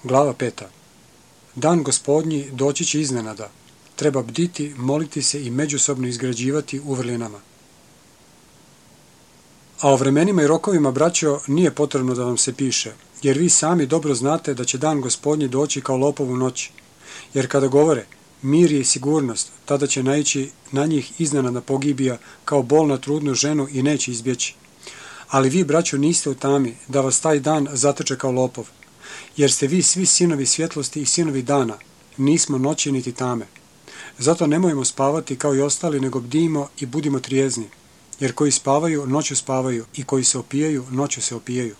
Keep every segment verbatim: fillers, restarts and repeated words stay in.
Glava peta. Dan Gospodnji doći će iznenada. Treba bditi, moliti se i međusobno izgrađivati u vrlinama. A o vremenima i rokovima, braćo, nije potrebno da vam se piše, jer vi sami dobro znate da će dan Gospodnji doći kao lopov u noći. Jer kada govore mir je i sigurnost, tada će naići na njih iznenadna pogibija kao bol na trudnu ženu i neće izbjeći. Ali vi, braćo, niste u tami da vas taj dan zatrče kao lopov, jer ste vi svi sinovi svjetlosti i sinovi dana, nismo noći niti tame. Zato nemojmo spavati kao i ostali, nego bdimo i budimo trijezni, jer koji spavaju, noću spavaju, i koji se opijaju, noću se opijaju.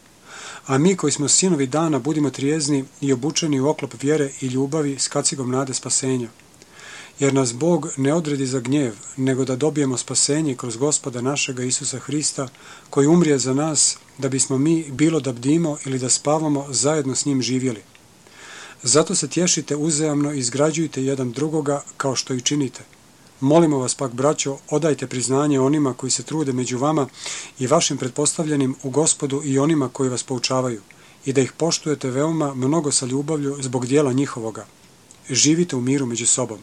A mi koji smo sinovi dana, budimo trijezni i obučeni u oklop vjere i ljubavi s kacigom nade spasenja. Jer nas Bog ne odredi za gnjev, nego da dobijemo spasenje kroz Gospoda našega Isusa Hrista, koji umrije za nas, da bismo mi, bilo da bdimo ili da spavamo, zajedno s njim živjeli. Zato se tješite uzajamno i izgrađujte jedan drugoga kao što i činite. Molimo vas pak, braćo, odajte priznanje onima koji se trude među vama i vašim pretpostavljenim u Gospodu i onima koji vas poučavaju, i da ih poštujete veoma mnogo sa ljubavlju zbog dijela njihovoga. Živite u miru među sobom.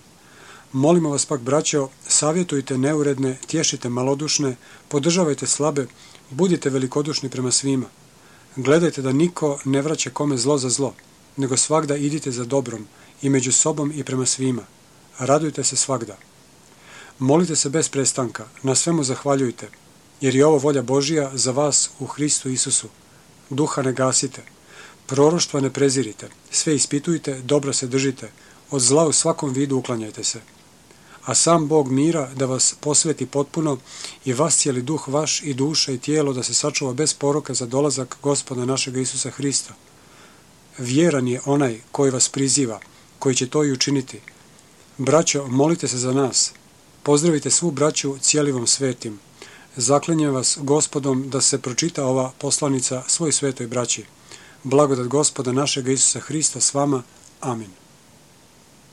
Molimo vas pak, braćo, savjetujte neuredne, tješite malodušne, podržavajte slabe, budite velikodušni prema svima. Gledajte da niko ne vraća kome zlo za zlo, nego svagda idite za dobrom, i među sobom i prema svima. Radujte se svagda. Molite se bez prestanka, na svemu zahvaljujte, jer je ovo volja Božija za vas u Hristu Isusu. Duha ne gasite, proroštva ne prezirite, sve ispitujte, dobro se držite, od zla u svakom vidu uklanjajte se. A sam Bog mira da vas posveti potpuno i vas cijeli duh vaš i duša i tijelo da se sačuva bez poroka za dolazak Gospoda našega Isusa Hrista. Vjeran je onaj koji vas priziva, koji će to i učiniti. Braćo, molite se za nas. Pozdravite svu braću cijelivom svetim. Zaklinjem vas Gospodom da se pročita ova poslanica svoj svetoj braći. Blagodat Gospoda našega Isusa Hrista s vama. Amin.